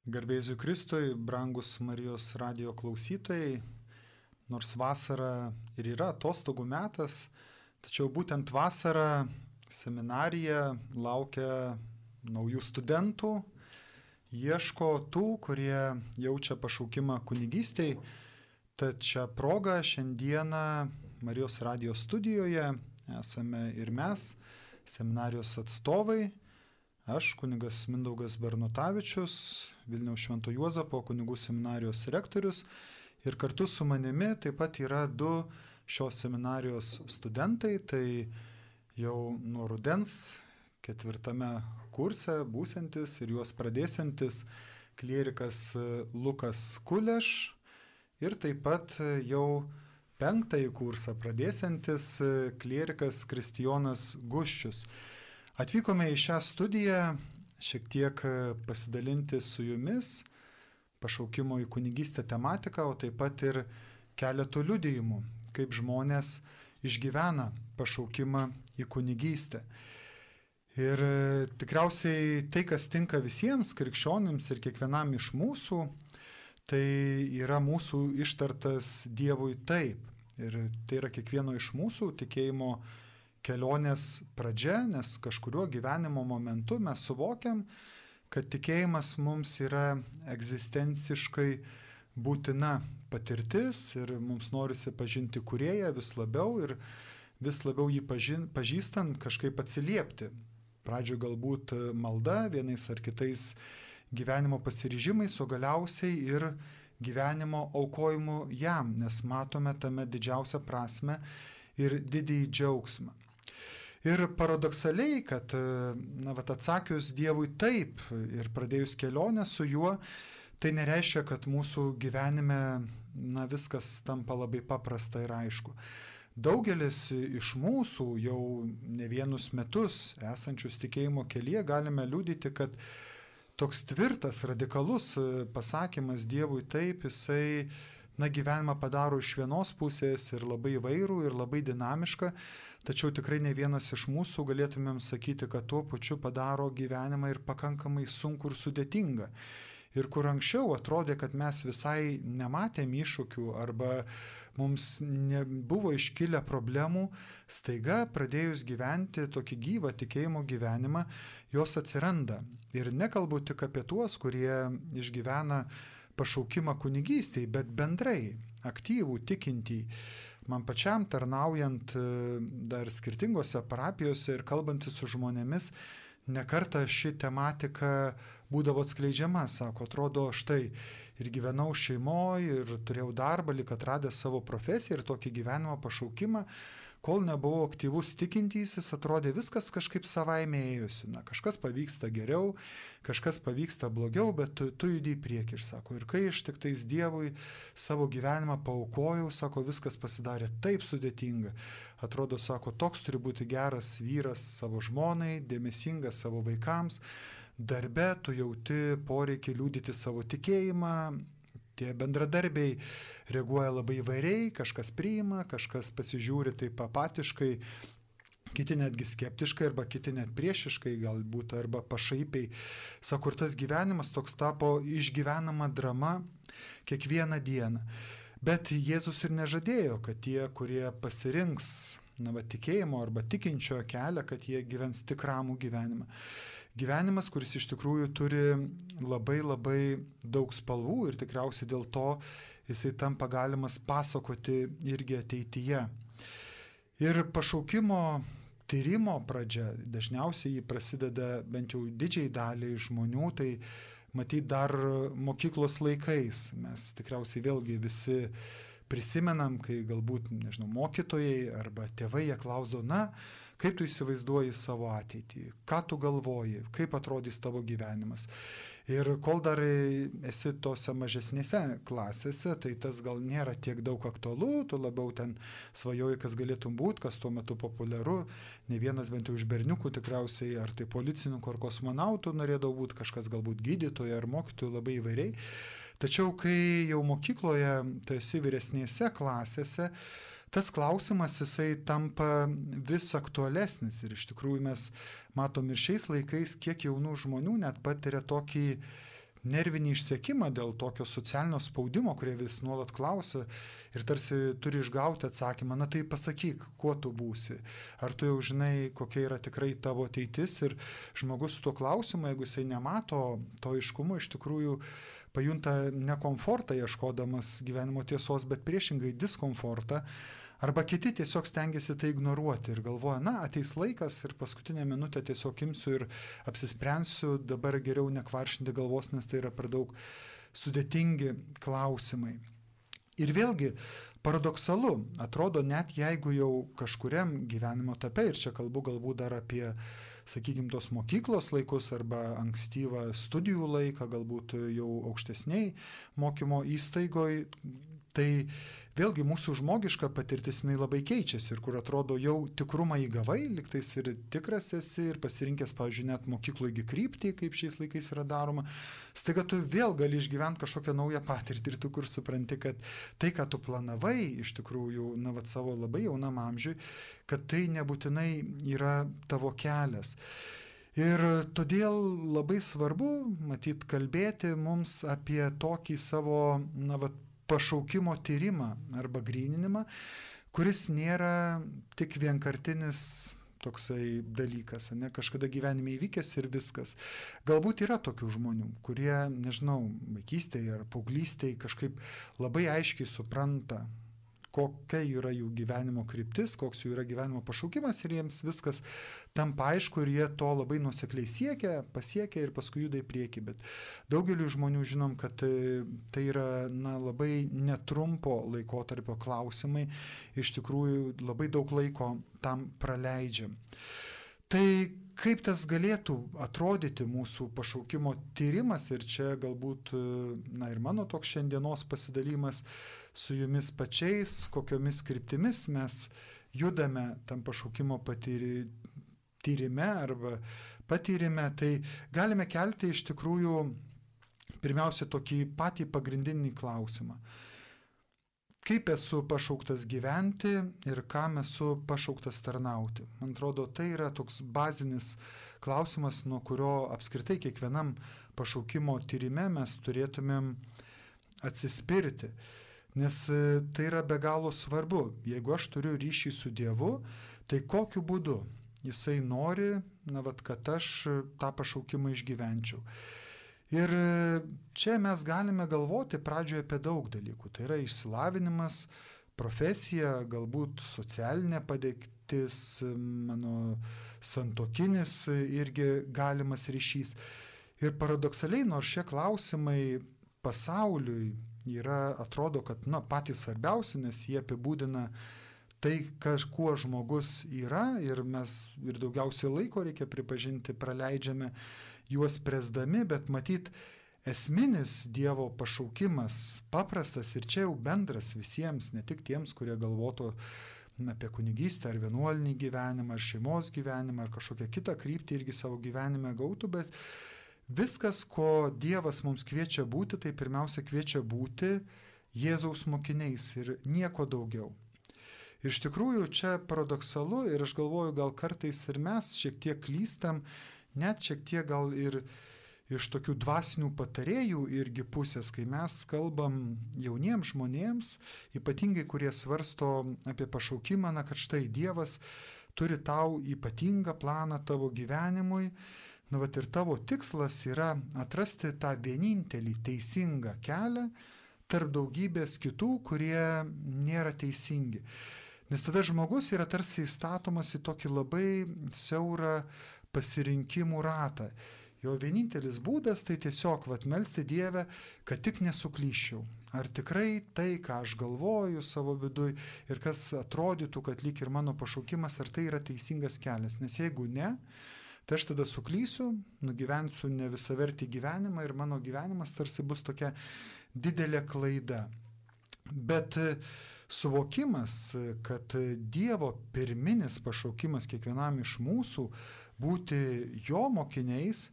Garbėsiu Kristui, brangus Marijos radio klausytojai, nors vasara ir yra atostogų metas, tačiau būtent vasarą seminarija laukia naujų studentų, ieško tų, kurie jaučia pašaukimą kunigystei. Tad šią progą šiandieną Marijos radio studijoje esame ir mes, seminarijos atstovai. Aš, kunigas Mindaugas Bernutavičius, Vilniaus Švento Juozapo kunigų seminarijos rektorius, ir kartu su manimi taip pat yra du šios seminarijos studentai, tai jau nuo rudens 4 kurse būsiantis ir juos pradėsiantis klierikas Lukas Kuleš ir taip pat jau 5 kursą pradėsiantis klierikas Kristijonas Guščius. Atvykome į šią studiją šiek tiek pasidalinti su jumis pašaukimo į kunigystę tematiką, o taip pat ir keletų liudijimų, kaip žmonės išgyvena pašaukimą į kunigystę. Ir tikriausiai tai, kas tinka visiems krikščionims ir kiekvienam iš mūsų, tai yra mūsų ištartas Dievui taip. Ir tai yra kiekvieno iš mūsų tikėjimo kelionės pradžia, nes kažkuriuo gyvenimo momentu mes suvokiam, kad tikėjimas mums yra egzistenciškai būtina patirtis ir mums norisi pažinti Kūrėją vis labiau ir vis labiau jį pažįstant kažkaip atsiliepti. Pradžioje galbūt malda, vienais ar kitais gyvenimo pasiryžimais, o galiausiai ir gyvenimo aukojimu jam, nes matome tame didžiausią prasmę ir didįjį džiaugsmą. Ir paradoksaliai, kad atsakius Dievui taip ir pradėjus kelionę su juo, tai nereiškia, kad mūsų gyvenime viskas tampa labai paprasta ir aišku. Daugelis iš mūsų jau ne vienus metus esančius tikėjimo kelyje galime liudyti, kad toks tvirtas, radikalus pasakymas Dievui taip, jisai gyvenimą padaro iš vienos pusės ir labai įvairų, ir labai dinamišką, tačiau tikrai ne vienas iš mūsų galėtumėm sakyti, kad tuo pačiu padaro gyvenimą ir pakankamai sunku ir sudėtingą. Ir kur anksčiau atrodė, kad mes visai nematėm iššūkių arba mums nebuvo iškilę problemų, staiga pradėjus gyventi tokį gyvą tikėjimo gyvenimą, jos atsiranda. Ir nekalbu tik apie tuos, kurie išgyvena pašaukimą kunigystei, bet bendrai aktyvų, tikintį. Man pačiam tarnaujant dar skirtingose parapijose ir kalbantis su žmonėmis, nekartą ši tematika būdavo atskleidžiama. Sako, atrodo, štai ir gyvenau šeimoje, ir turėjau darbą, lyg atradęs savo profesiją ir tokį gyvenimo pašaukimą. Kol nebuvau aktyvus tikintysis, atrodė viskas kažkaip savaime ėjusi. Kažkas pavyksta geriau, kažkas pavyksta blogiau, bet tu judi į priekį. Ir sako, ir kai aš tik tais Dievui savo gyvenimą paaukojau, sako, viskas pasidarė taip sudėtinga. Atrodo, sako, toks turi būti geras vyras savo žmonai, dėmesingas savo vaikams. Darbe tu jauti poreikį liudyti savo tikėjimą. Tie bendradarbiai reaguoja labai įvairiai, kažkas priima, kažkas pasižiūri taip apatiškai, kiti netgi skeptiškai, arba kiti net priešiškai, galbūt, arba pašaipiai. Sako, ir tas gyvenimas toks tapo išgyvenama drama kiekvieną dieną. Bet Jėzus ir nežadėjo, kad tie, kurie pasirinks tikėjimo arba tikinčio kelią, kad jie gyvens tik ramų gyvenimą. Gyvenimas, kuris iš tikrųjų turi labai labai daug spalvų ir tikriausiai dėl to jisai tampa galimas pasakoti irgi ateityje. Ir pašaukimo tyrimo pradžia, dažniausiai jį prasideda bent jau didžiai daliai žmonių, tai matyt dar mokyklos laikais. Mes tikriausiai vėlgi visi prisimenam, kai galbūt, mokytojai arba tėvai jie klausdo, kaip tu įsivaizduoji savo ateitį, ką tu galvoji, kaip atrodys tavo gyvenimas. Ir kol dar esi tose mažesnėse klasėse, tai tas gal nėra tiek daug aktualu, tu labiau ten svajoji, kas galėtum būti, kas tuo metu populiaru. Ne vienas bent jau iš berniukų tikriausiai, ar tai policininkų ar kosmonautų norėdavo būti, kažkas galbūt gydytojo ar mokytojų, labai įvairiai. Tačiau kai jau mokykloje tu esi vyresnėse klasėse, tas klausimas jisai tampa vis aktualesnis ir iš tikrųjų mes matom ir šiais laikais, kiek jaunų žmonių net patiria tokį nervinį išsekimą dėl tokio socialinio spaudimo, kurie vis nuolat klausia ir tarsi turi išgauti atsakymą, na tai pasakyk, kuo tu būsi, ar tu jau žinai, kokia yra tikrai tavo ateitis, ir žmogus su tuo klausimu, jeigu jisai nemato to aiškumo, iš tikrųjų pajunta nekomfortą ieškodamas gyvenimo tiesos, bet priešingai diskomfortą. Arba kiti tiesiog stengiasi tai ignoruoti ir galvoja, na, ateis laikas ir paskutinę minutę tiesiog imsiu ir apsisprendsiu, dabar geriau nekvaršinti galvos, nes tai yra per daug sudėtingi klausimai. Ir vėlgi, paradoksalu, atrodo, net jeigu jau kažkuriam gyvenimo etape, ir čia kalbu galbūt dar apie, sakykime, tos mokyklos laikus arba ankstyvą studijų laiką, galbūt jau aukštesniai mokymo įstaigoje, tai vėlgi mūsų žmogiška patirtis jinai labai keičiasi ir kur atrodo jau tikrumą įgavai, liktais ir tikras esi ir pasirinkęs, pavyzdžiui, net mokykloje kryptį, kaip šiais laikais yra daroma, staiga tu vėl gali išgyventi kažkokią naują patirtį ir tu kur supranti, kad tai, ką tu planavai iš tikrųjų, na, vat savo labai jaunam amžiui, kad tai nebūtinai yra tavo kelias. Ir todėl labai svarbu, matyt, kalbėti mums apie tokį savo, na, vat, pašaukimo tyrimą arba gryninimą, kuris nėra tik vienkartinis toksai dalykas, ne, kažkada gyvenime įvykęs ir viskas. Galbūt yra tokių žmonių, kurie, nežinau, vaikystėje ar paauglystėje kažkaip labai aiškiai supranta, kokia yra jų gyvenimo kryptis, koks jų yra gyvenimo pašaukimas ir jiems viskas tampa aišku ir jie to labai nuosekliai pasiekia ir paskui juda į priekį. Bet daugeliu žmonių žinom, kad tai yra, na, labai netrumpo laikotarpio klausimai, iš tikrųjų labai daug laiko tam praleidžiam. Tai kaip tas galėtų atrodyti mūsų pašaukimo tyrimas ir čia galbūt, na, ir mano toks šiandienos pasidalymas su jumis pačiais, kokiomis kryptimis mes judame tam pašaukimo tyrime arba patyrime, tai galime kelti iš tikrųjų pirmiausia tokį patį pagrindinį klausimą. Kaip esu pašauktas gyventi ir kam esu pašauktas tarnauti? Man atrodo, tai yra toks bazinis klausimas, nuo kurio apskritai kiekvienam pašaukimo tyrime mes turėtumėm atsispirti. Nes tai yra be galo svarbu. Jeigu aš turiu ryšį su Dievu, tai kokiu būdu Jisai nori, na, vat, kad aš tą pašaukimą išgyvenčiau. Ir čia mes galime galvoti pradžioje apie daug dalykų. Tai yra išsilavinimas, profesija, galbūt socialinė padėtis, mano santuokinis irgi galimas ryšys. Ir paradoksaliai, nors šie klausimai pasauliui yra, atrodo, kad, na, patys svarbiausi, nes jie apibūdina tai, kuo žmogus yra ir mes ir daugiausiai laiko, reikia pripažinti, praleidžiame juos presdami, bet matyt, esminis Dievo pašaukimas paprastas ir čia jau bendras visiems, ne tik tiems, kurie galvotų apie kunigystę ar vienuolinį gyvenimą, ar šeimos gyvenimą, ar kažkokią kitą kryptį irgi savo gyvenime gautų, bet viskas, ko Dievas mums kviečia būti, tai pirmiausia kviečia būti Jėzaus mokiniais ir nieko daugiau. Ir iš tikrųjų čia paradoksalu ir aš galvoju, gal kartais ir mes šiek tiek klystam, net šiek tiek gal ir iš tokių dvasinių patarėjų irgi pusės, kai mes kalbam jauniems žmonėms, ypatingai kurie svarsto apie pašaukimą, na, kad štai Dievas turi tau ypatingą planą tavo gyvenimui, na, vat ir tavo tikslas yra atrasti tą vienintelį teisingą kelią tarp daugybės kitų, kurie nėra teisingi. Nes tada žmogus yra tarsi įstatomas į tokį labai siaurą pasirinkimų ratą. Jo vienintelis būdas tai tiesiog melsti Dievę, kad tik nesuklyščiau. Ar tikrai tai, ką aš galvoju savo viduj ir kas atrodytų, kad lyg ir mano pašaukimas, ar tai yra teisingas kelias. Nes jeigu ne, tai aš tada suklysiu, nugyvensiu ne visavertį gyvenimą ir mano gyvenimas tarsi bus tokia didelė klaida. Bet suvokimas, kad Dievo pirminis pašaukimas kiekvienam iš mūsų būti jo mokiniais,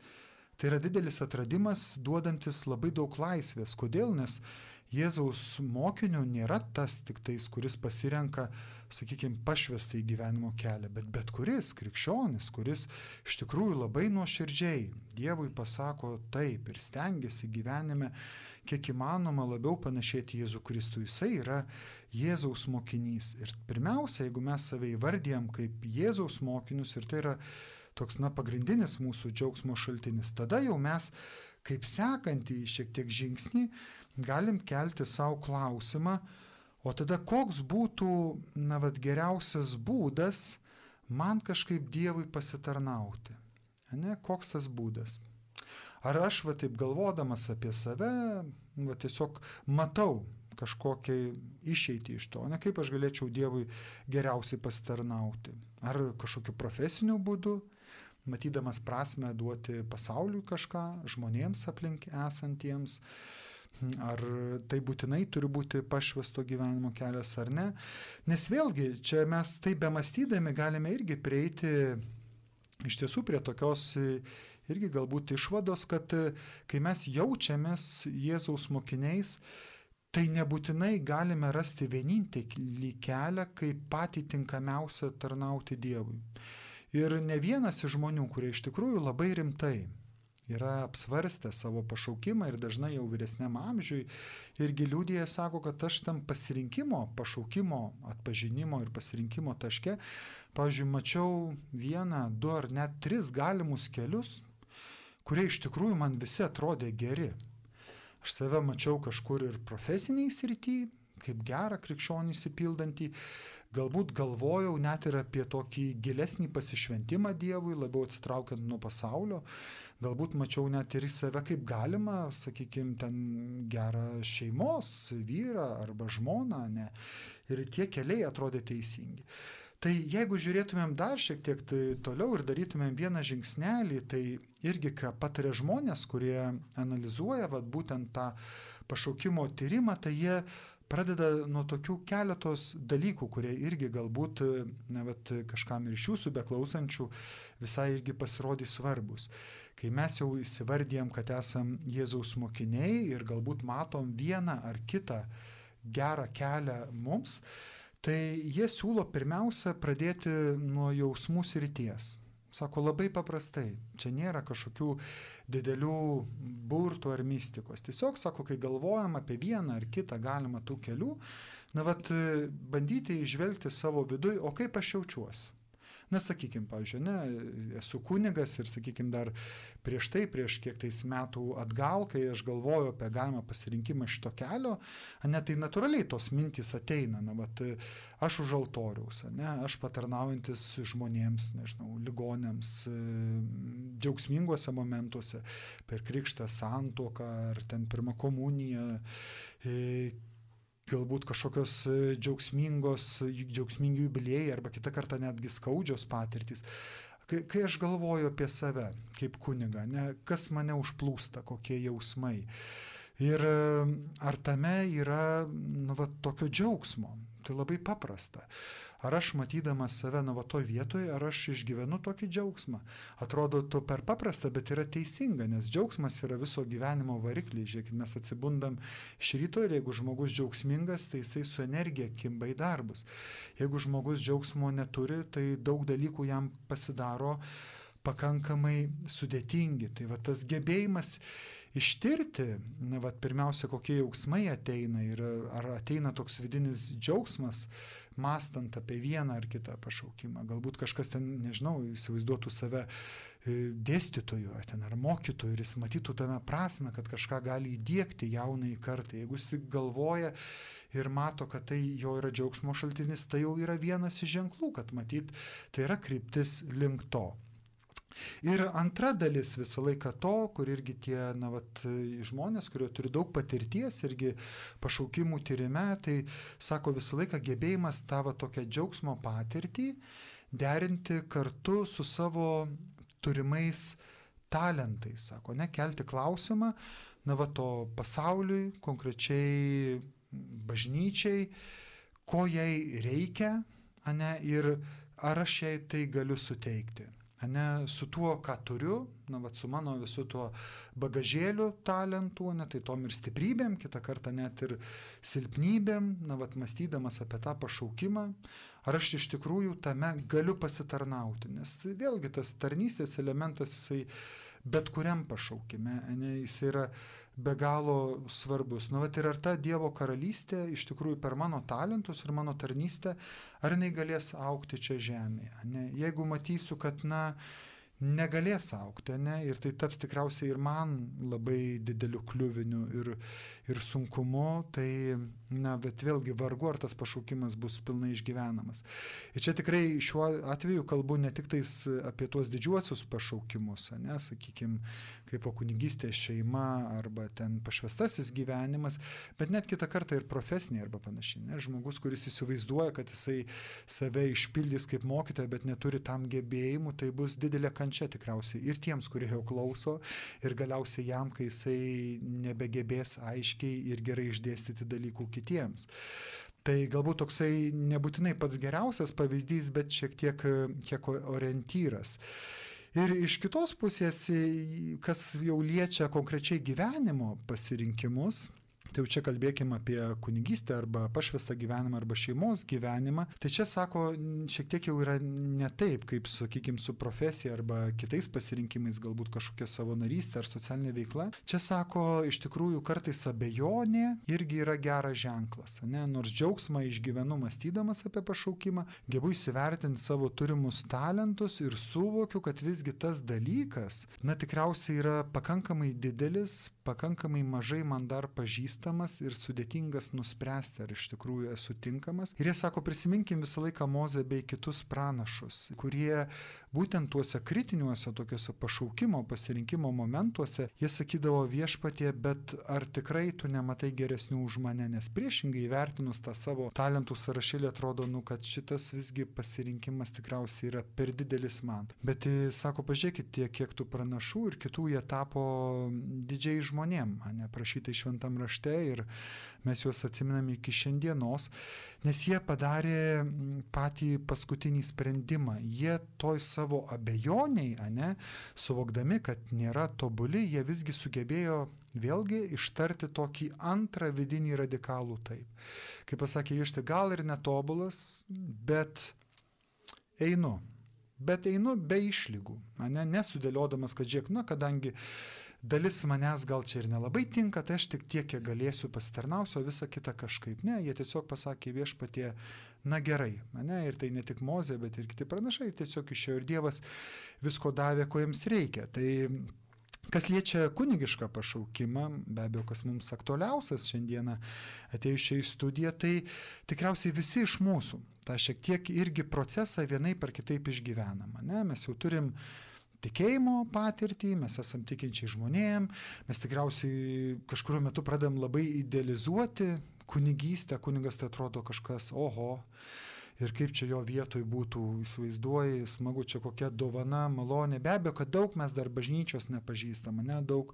tai yra didelis atradimas, duodantis labai daug laisvės. Kodėl? Nes Jėzaus mokiniu nėra tas tik tais, kuris pasirenka, sakykime, pašvestą į gyvenimo kelią, bet kuris krikščionis, kuris iš tikrųjų labai nuoširdžiai Dievui pasako taip ir stengiasi gyvenime kiek įmanoma labiau panašėti Jėzų Kristų. Jisai yra Jėzaus mokinys. Ir pirmiausia, jeigu mes save įvardijam kaip Jėzaus mokinius, ir tai yra toks, pagrindinis mūsų džiaugsmo šaltinis, tada jau mes kaip sekantį šiek tiek žingsnį galim kelti savo klausimą, o tada koks būtų, geriausias būdas man kažkaip Dievui pasitarnauti. Koks tas būdas? Ar aš taip galvodamas apie save, tiesiog matau kažkokią išeitį iš to, kaip aš galėčiau Dievui geriausiai pasitarnauti? Ar kažkokiu profesiniu būdu, matydamas prasmę duoti pasauliui kažką, žmonėms aplink esantiems? Ar tai būtinai turi būti pašvesto gyvenimo kelias ar ne? Nes vėlgi, čia mes taip bemąstydami galime irgi prieiti iš tiesų prie tokios irgi galbūt išvados, kad kai mes jaučiamės Jėzaus mokiniais, tai nebūtinai galime rasti vienintelį kelią, kaip patį tinkamiausią tarnauti Dievui. Ir ne vienas iš žmonių, kurie iš tikrųjų labai rimtai yra apsvarstę savo pašaukimą ir dažnai jau vyresniam amžiui irgi liudija, sako, kad aš tam pasirinkimo, pašaukimo, atpažinimo ir pasirinkimo taške, pavyzdžiui, mačiau 1, 2 ar net 3 galimus kelius, kurie iš tikrųjų man visi atrodė geri. Aš save mačiau kažkur ir profesiniai srity, kaip gerą krikščionį įsipildantį, galbūt galvojau net ir apie tokį gilesnį pasišventimą Dievui, labiau atsitraukiant nuo pasaulio, galbūt mačiau net ir į save kaip galima, sakykime, ten gerą šeimos vyrą arba žmoną, ne? Ir tie keliai atrodė teisingi. Tai jeigu žiūrėtumėm dar šiek tiek toliau ir darytumėm vieną žingsnelį, tai irgi ką pataria žmonės, kurie analizuoja būtent tą pašaukimo tyrimą, tai jie pradeda nuo tokių keletos dalykų, kurie irgi galbūt kažkam ir iš jūsų beklausančių visai irgi pasirodys svarbus. Kai mes jau įsivardijam, kad esam Jėzaus mokiniai ir galbūt matom vieną ar kitą gerą kelią mums, tai jie siūlo pirmiausia pradėti nuo jausmų srities. Sako labai paprastai, čia nėra kažkokių didelių burtų ar mistikos. Tiesiog, sako, kai galvojam apie vieną ar kitą galimą tų kelių, bandyti įžvelgti savo viduj, o kaip aš jaučiuosi. Sakykime, pavyzdžiui, esu kunigas ir, sakykime, dar prieš kiek tais metų atgal, kai aš galvoju apie galimą pasirinkimą šito kelio, tai natūraliai tos mintys ateina, aš už altoriaus, aš patarnaujantis žmonėms, ligonėms, džiaugsminguose momentuose, per krikštą, santuoką ar ten pirmą komuniją, galbūt kažkokios džiaugsmingi jubiliejai arba kitą kartą netgi skaudžios patirtys. Kai aš galvoju apie save kaip kunigą, kas mane užplūsta, kokie jausmai. Ir ar tame yra tokio džiaugsmo. Tai labai paprasta. Ar aš matydamas save toj vietoje, ar aš išgyvenu tokį džiaugsmą. Atrodo to per paprasta, bet yra teisinga, nes džiaugsmas yra viso gyvenimo variklis. Žiūrėkit, mes atsibundam iš ryto ir jeigu žmogus džiaugsmingas, tai jisai su energija kimba į darbus. Jeigu žmogus džiaugsmo neturi, tai daug dalykų jam pasidaro pakankamai sudėtingi. Tai tas gebėjimas ištirti, pirmiausia, kokie jausmai ateina ir ar ateina toks vidinis džiaugsmas, mąstant apie vieną ar kitą pašaukimą. Galbūt kažkas ten, įsivaizduotų save dėstytoju ar mokytoju ir jis matytų tame prasme, kad kažką gali įdiegti jaunai kartai. Jeigu jis galvoja ir mato, kad tai jo yra džiaugsmo šaltinis, tai jau yra vienas iš ženklų, kad matyt, tai yra kryptis link to. Ir antra dalis visą laiką to, kur irgi tie žmonės, kurie turi daug patirties irgi pašaukimų tyrime, tai sako visą laiką gebėjimas tavo tokią džiaugsmo patirtį derinti kartu su savo turimais talentais. Sako, kelti klausimą, to pasauliui, konkrečiai bažnyčiai, ko jai reikia, ir ar aš jai tai galiu suteikti. ane, su tuo, ką turiu, na, vat, su mano visu tuo bagažėliu talentų, ne, tai tom ir stiprybėm, kitą kartą net ir silpnybėm, na, vat, mąstydamas apie tą pašaukimą, ar aš iš tikrųjų tame galiu pasitarnauti, nes tai vėlgi tas tarnystės elementas, jisai bet kuriam pašaukime, ne, jisai yra be galo svarbus. Nu, vat, ir ar ta Dievo karalystė iš tikrųjų per mano talentus ir mano tarnystę, ar jinai galės augti čia žemėje. Ne? Jeigu matysiu, kad, na, negalės augti, ne, ir tai taps tikriausiai ir man labai dideliu kliuviniu ir sunkumu, tai, na, bet vėlgi vargu, ar tas pašaukimas bus pilnai išgyvenamas. Ir čia tikrai šiuo atveju kalbu ne tik tais apie tuos didžiuosius pašaukimus, ne, sakykime, kaip po kunigystės šeima arba ten pašvestasis gyvenimas, bet net kitą kartą ir profesiniai arba panašiai. Ne, žmogus, kuris įsivaizduoja, kad jisai save išpildys kaip mokytoja, bet neturi tam gebėjimų, tai bus didelė kančia tikriausiai ir tiems, kurie jau klauso, ir galiausiai jam, kai jisai nebegebės aiškiai ir gerai išdėstyti dalykų kitiems. Tai galbūt toksai nebūtinai pats geriausias pavyzdys, bet šiek tiek orientyras. Ir iš kitos pusės, kas jau liečia konkrečiai gyvenimo pasirinkimus, tai jau čia kalbėkime apie kunigystę arba pašvestą gyvenimą arba šeimos gyvenimą, tai čia sako, šiek tiek jau yra ne taip, kaip, sakykime, su profesija arba kitais pasirinkimais, galbūt kažkokia savanarystė ar socialinė veikla. Čia sako, iš tikrųjų kartais abejonė irgi yra geras ženklas, ne? Nors džiaugsmą išgyvenu mąstydamas apie pašaukimą, gebu įsivertinti savo turimus talentus ir suvokiu, kad visgi tas dalykas, na, tikriausiai yra pakankamai didelis, pakankamai mažai man dar pažįstamas ir sudėtingas nuspręsti, ar iš tikrųjų esu tinkamas. Ir jie sako, prisiminkim visą laiką Mozę bei kitus pranašus, kurie būtent tuose kritiniuose, tokiuose pašaukimo, pasirinkimo momentuose, jie sakydavo viešpatie, bet ar tikrai tu nematai geresnių už mane, nes priešingai įvertinus tą savo talentų sąrašėlį atrodo, nu, kad šitas visgi pasirinkimas tikriausiai yra per didelis man. Bet sako, pažiūrėkit, tiek, kiek tų pranašų ir kitų jie tapo didžiai žmonėm, neprašytai šventam rašte ir mes juos atsiminame iki šiandienos, nes jie padarė patį paskutinį sprendimą. Jie toj savo abejoniai, suvokdami, kad nėra tobuli, jie visgi sugebėjo vėlgi ištarti tokį antrą vidinį radikalų taip. Kaip pasakė viešti, gal ir netobulas, bet einu. Bet einu be išlygų, nesudėliodamas, kad žiūrėk, na, kadangi dalis manęs gal čia ir nelabai tinka, tai aš tik tiek, kiek galėsiu pasitarnausiu, o visą kitą kažkaip. Ne, jie tiesiog pasakė viešpatie, na gerai, ir tai ne tik Mozė, bet ir kiti pranašai, tiesiog išėjo ir Dievas visko davė, ko jiems reikia. Tai kas liečia kunigišką pašaukimą, be abejo, kas mums aktualiausias šiandieną atėjusiai į studiją, tai tikriausiai visi iš mūsų tą šiek tiek irgi procesą vienaip ar kitaip išgyvenam. Mes jau turim tikėjimo patirtį, mes esam tikinčiai žmonėm, mes tikriausiai kažkuriuo metu pradedam labai idealizuoti kunigystę, kunigas tai atrodo kažkas, oho, ir kaip čia jo vietoj būtų, įsivaizduoji, smagu, čia kokia dovana, malonė. Be abejo, kad daug mes dar bažnyčios nepažįstam, daug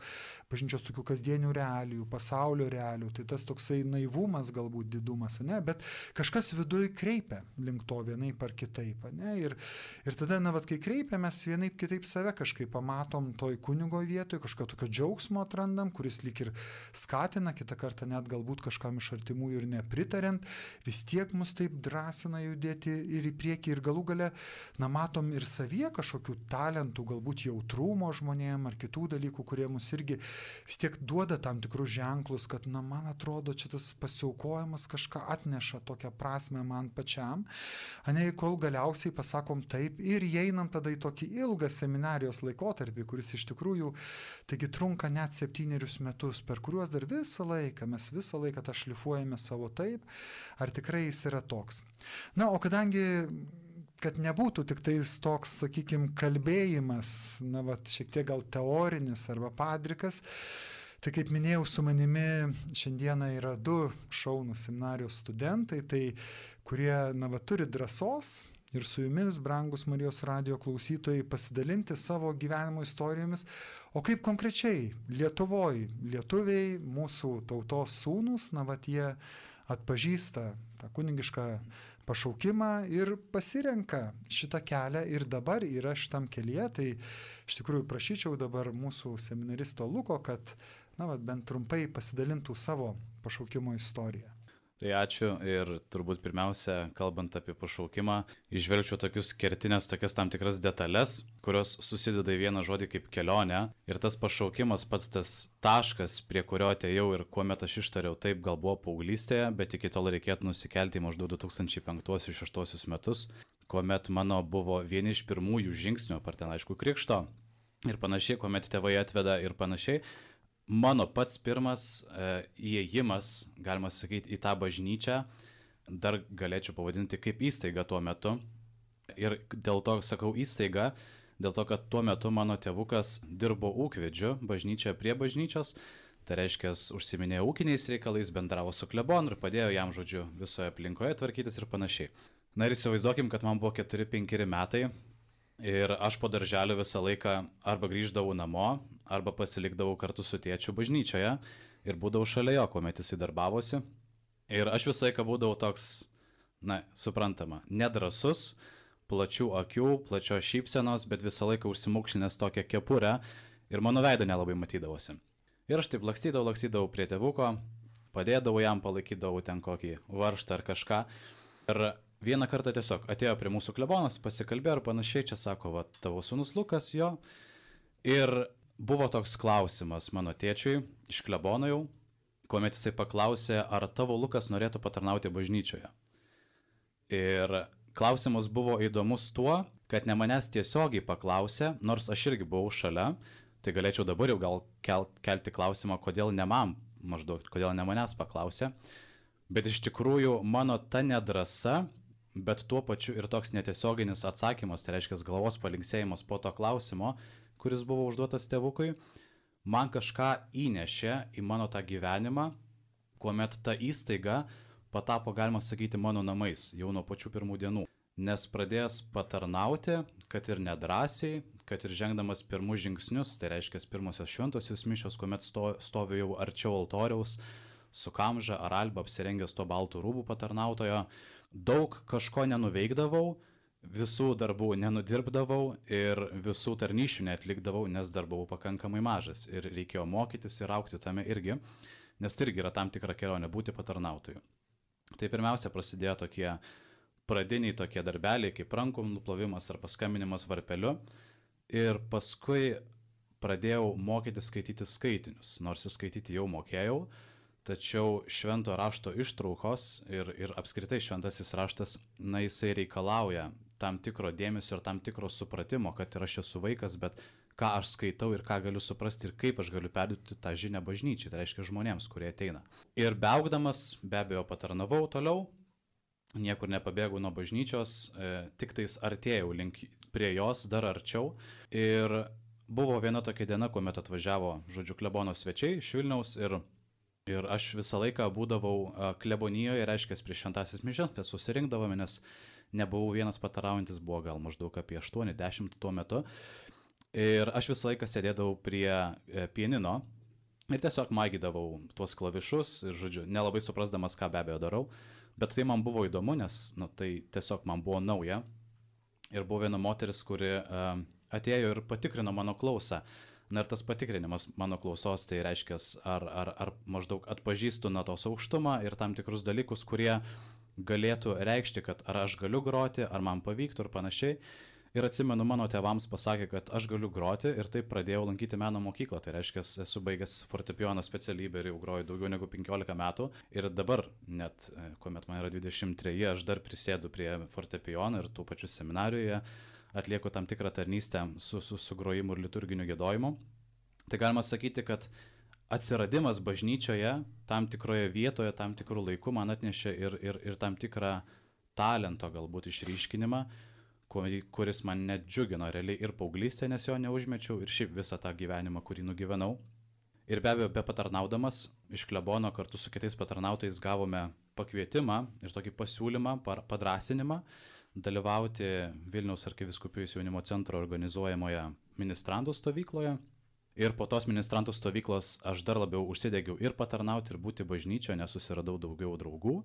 bažnyčios tokių kasdienių realijų, pasaulio realijų, tai tas toksai naivumas, galbūt didumas, bet kažkas viduj kreipia link to vienaip ar kitaip. Ir tada, kai kreipia, mes vienaip kitaip save kažkaip pamatom toj kunigo vietoj, kažkokio tokio džiaugsmo atrandam, kuris lyg ir skatina, kitą kartą net galbūt kažkam iš artimų ir nepritariant, vis tiek mus taip drąsina judėti ir į priekį ir galų gale, matom ir savyje kažkokių talentų, galbūt jautrumo žmonėm ar kitų dalykų, kurie mus irgi vis tiek duoda tam tikrus ženklus, kad, man atrodo, čia tas pasiaukojimas kažką atneša tokią prasme man pačiam, kol galiausiai pasakom taip ir įeinam tada į tokį ilgą seminarijos laikotarpį, kuris iš tikrųjų, taigi trunka net 7 metus, per kuriuos dar mes visą laiką tą šlifuojame savo taip, ar tikrai jis yra toks. O kadangi, kad nebūtų tik tais toks, sakykime, kalbėjimas, šiek tiek gal teorinis arba padrikas, tai kaip minėjau, su manimi šiandieną yra 2 šaunūs seminarijos studentai, tai kurie, turi drąsos ir su jumis, brangus Marijos radijo klausytojai, pasidalinti savo gyvenimo istorijomis, o kaip konkrečiai lietuviai, mūsų tautos sūnus, jie atpažįsta tą kunigišką pašaukimą ir pasirenka šitą kelią ir dabar yra šitam kelyje. Tai iš tikrųjų prašyčiau dabar mūsų seminaristo Luko, kad bent trumpai pasidalintų savo pašaukimo istoriją. Tai ačiū ir turbūt pirmiausia, kalbant apie pašaukimą, įžvelgčiau tokias tam tikras detalės, kurios susideda į vieną žodį kaip kelionė. Ir tas pašaukimas, pats tas taškas, prie kurio atėjau ir kuomet aš ištariau, taip gal buvo paauglystėje, bet iki tol reikėtų nusikelti į maždaug 2005-2006 metus, kuomet mano buvo vieni iš pirmųjų žingsnių, apart ten aišku krikšto ir panašiai, kuomet tėvai atveda ir panašiai. Mano pats pirmas įėjimas, galima sakyti, į tą bažnyčią, dar galėčiau pavadinti kaip įstaiga tuo metu. Ir dėl to sakau įstaiga, dėl to, kad tuo metu mano tėvukas dirbo ūkvedžiu bažnyčioje prie bažnyčios, tai reiškia, užsiminėjo ūkiniais reikalais, bendravo su klebonu ir padėjo jam, žodžiu, visoje aplinkoje tvarkytis ir panašiai. Na ir įsivaizduokim, kad man buvo 4-5 metai ir aš po darželio visą laiką arba grįždavau namo, arba pasilikdavau kartu su tėčiu bažnyčioje ir būdavau šalia jo, kuomet jis darbavosi. Ir aš visą laiką būdavau toks, suprantama, nedrasus, plačių akių, plačios šypsenos, bet visą laiką užsimaukšlinęs tokią kepurę ir mano veido nelabai matydavosi. Ir aš taip lakstydavau prie tėvuko, padėdavau jam, palaikydavau ten kokį varžtą ar kažką. Ir vieną kartą tiesiog atėjo prie mūsų klebonas, pasikalbėjo ir panašiai, čia sako, va, tavo sūnus Lukas, jo. Ir buvo toks klausimas mano tėčiui iš klebono jau, kuomet jisai paklausė, ar tavo Lukas norėtų patarnauti bažnyčioje. Ir klausimas buvo įdomus tuo, kad ne manęs tiesiogiai paklausė, nors aš irgi buvau šalia, tai galėčiau dabar jau gal kelti klausimą, kodėl ne man, maždaug, kodėl ne manęs paklausė. Bet iš tikrųjų mano ta nedrasa, bet tuo pačiu ir toks netiesioginis atsakymas, tai reiškia galvos palinksėjimas po to klausimo, kuris buvo užduotas tėvukui, man kažką įnešė į mano tą gyvenimą, kuomet ta įstaiga patapo, galima sakyti, mano namais jau nuo pačių pirmų dienų. Nes pradėjęs patarnauti, kad ir nedrąsiai, kad ir žengdamas pirmus žingsnius, tai reiškia pirmosios šventosios mišios, kuomet stoviu jau arčiau altoriaus, su kamža ar alba apsirengęs to baltų rūbų patarnautojo, daug kažko nenuveikdavau, visų darbų nenudirbdavau ir visų tarnyšių neatlikdavau, nes dar buvau pakankamai mažas ir reikėjo mokytis ir augti tame irgi, nes tai irgi yra tam tikra kelionė būti patarnautoju. Tai pirmiausia prasidėjo tokie pradiniai tokie darbeliai kaip rankų nuplovimas ar paskambinimas varpeliu ir paskui pradėjau mokyti skaityti skaitinius, nors skaityti jau mokėjau, tačiau švento rašto ištraukos ir apskritai šventasis raštas, jisai reikalauja tam tikro dėmesio ir tam tikro supratimo, kad ir aš esu vaikas, bet ką aš skaitau ir ką galiu suprasti ir kaip aš galiu perduoti tą žinią bažnyčiai, tai reiškia žmonėms, kurie ateina. Ir beaugdamas, be abejo, patarnavau toliau, niekur nepabėgau nuo bažnyčios, tik tais artėjau prie jos dar arčiau. Ir buvo viena tokia diena, kuomet atvažiavo, žodžiu, klebono svečiai iš Vilniaus ir aš visą laiką būdavau klebonijoje, reiškia, prieš šventasis mišias, susirinkdavome, nes nebuvau vienas pataraujantis, buvo gal maždaug apie 8-10 tuo metu. Ir aš visą laiką sėdėdavau prie pianino ir tiesiog magydavau tuos klavišus ir, žodžiu, nelabai suprasdamas, ką be abejo darau. Bet tai man buvo įdomu, nes tai tiesiog man buvo nauja. Ir buvo viena moteris, kuri atėjo ir patikrino mano klausą. Na ir tas patikrinimas mano klausos, tai reiškia, ar maždaug atpažįstu natos aukštumą ir tam tikrus dalykus, kurie galėtų reikšti, kad ar aš galiu groti, ar man pavyktų ir panašiai. Ir atsimenu, mano tėvams pasakė, kad aš galiu groti ir taip pradėjau lankyti meno mokyklą. Tai reiškia, esu baigęs fortepijono specialybę ir jau groju daugiau negu 15 metų. Ir dabar, net kuomet man yra 23, aš dar prisėdu prie fortepijono ir tų pačių seminarijoje atlieku tam tikrą tarnystę su grojimu ir liturginiu giedojimu. Tai galima sakyti, kad atsiradimas bažnyčioje tam tikroje vietoje, tam tikrų laikų man atnešė ir tam tikrą talento galbūt išryškinimą, kuris man net džiugino realiai ir paauglystė, nes jo neužmečiau, ir šiaip visą tą gyvenimą, kurį nugyvenau. Ir be abejo, be patarnaudamas iš klebono kartu su kitais patarnautojais gavome pakvietimą ir tokį pasiūlymą, padrąsinimą dalyvauti Vilniaus arkivyskupijos jaunimo centro organizuojamoje ministrantų stovykloje. Ir po tos ministrantų stovyklos aš dar labiau užsidegiau ir patarnauti, ir būti bažnyčioje, nes susiradau daugiau draugų,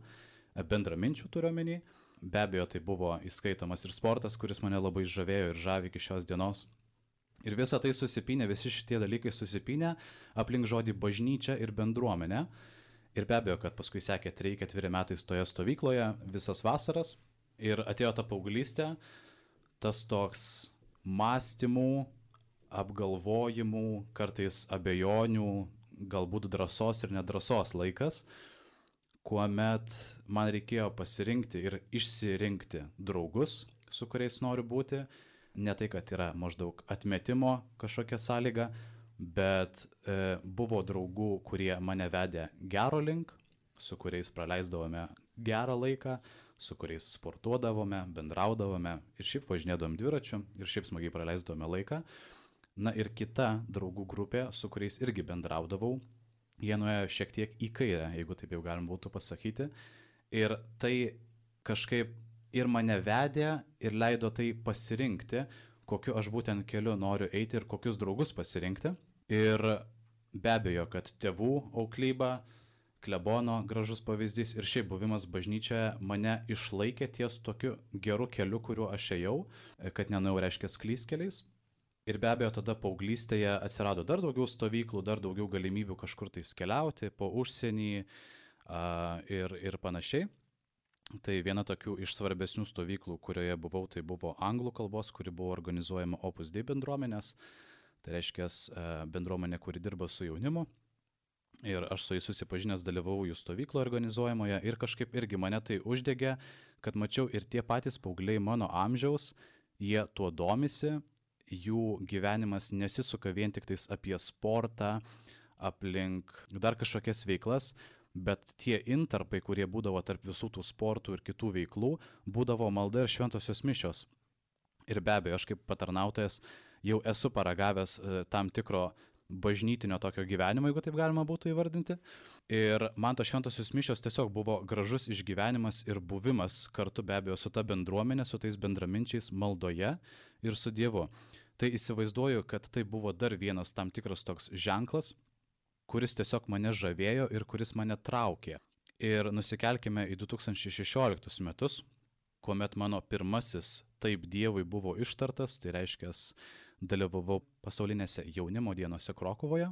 bendraminčių turiu omeny. be abejo tai buvo įskaitomas ir sportas, kuris mane labai žavėjo ir žavi iki šios dienos. Ir visa tai susipynė, visi šitie dalykai susipynė aplink žodį bažnyčia ir bendruomenė. Ir be abejo, kad paskui sekė 3-4 metai toje stovykloje, visas vasaras. Ir atėjo ta paauglystė, tas toks mąstymų, apgalvojimų, kartais abejonių, galbūt drąsos ir nedrąsos laikas, kuomet man reikėjo pasirinkti ir išsirinkti draugus, su kuriais noriu būti. Ne tai, kad yra maždaug atmetimo kažkokia sąlyga, bet buvo draugų, kurie mane vedė gero link, su kuriais praleisdavome gerą laiką, su kuriais sportuodavome, bendraudavome ir šiaip važinėdavom dviračiu ir šiaip smagiai praleisdavome laiką. Na ir kita draugų grupė, su kuriais irgi bendraudavau, jie nuėjo šiek tiek į kairę, jeigu taip jau galim būtų pasakyti. Ir tai kažkaip ir mane vedė ir leido tai pasirinkti, kokiu aš būtent keliu noriu eiti ir kokius draugus pasirinkti. Ir be abejo, kad tėvų auklyba, klebono gražus pavyzdys ir šiaip buvimas bažnyčioje mane išlaikė ties tokiu geru keliu, kuriuo aš ėjau, kad nenuėjau reiškia klystkeliais. Ir be abejo, tada paauglystėje atsirado dar daugiau stovyklų, dar daugiau galimybių kažkur tais keliauti po užsienį ir panašiai. Tai viena tokių iš svarbesnių stovyklų, kurioje buvau, tai buvo anglų kalbos, kuri buvo organizuojama Opus Dei bendruomenės. Tai reiškia bendruomenė, kuri dirba su jaunimu. Ir aš su jais susipažinęs dalyvavau jų stovyklo organizuojamoje ir kažkaip irgi mane tai uždegė, kad mačiau ir tie patys paaugliai mano amžiaus, jie tuo domisi, jų gyvenimas nesisuka vien tik tais apie sportą, aplink dar kažkokias veiklas, bet tie intarpai, kurie būdavo tarp visų tų sportų ir kitų veiklų, būdavo malda ir šventosios mišios. Ir be abejo, aš kaip patarnautojas jau esu paragavęs tam tikro bažnytinio tokio gyvenimo, jeigu taip galima būtų įvardinti. Ir man tos šventosios mišios tiesiog buvo gražus išgyvenimas ir buvimas kartu be abejo su ta bendruomenė, su tais bendraminčiais maldoje ir su Dievu. Tai įsivaizduoju, kad tai buvo dar vienas tam tikras toks ženklas, kuris tiesiog mane žavėjo ir kuris mane traukė. Ir nusikelkime į 2016 metus, kuomet mano pirmasis Taip Dievui buvo ištartas, tai reiškia, dalyvavau pasaulinėse jaunimo dienose Krokuvoje,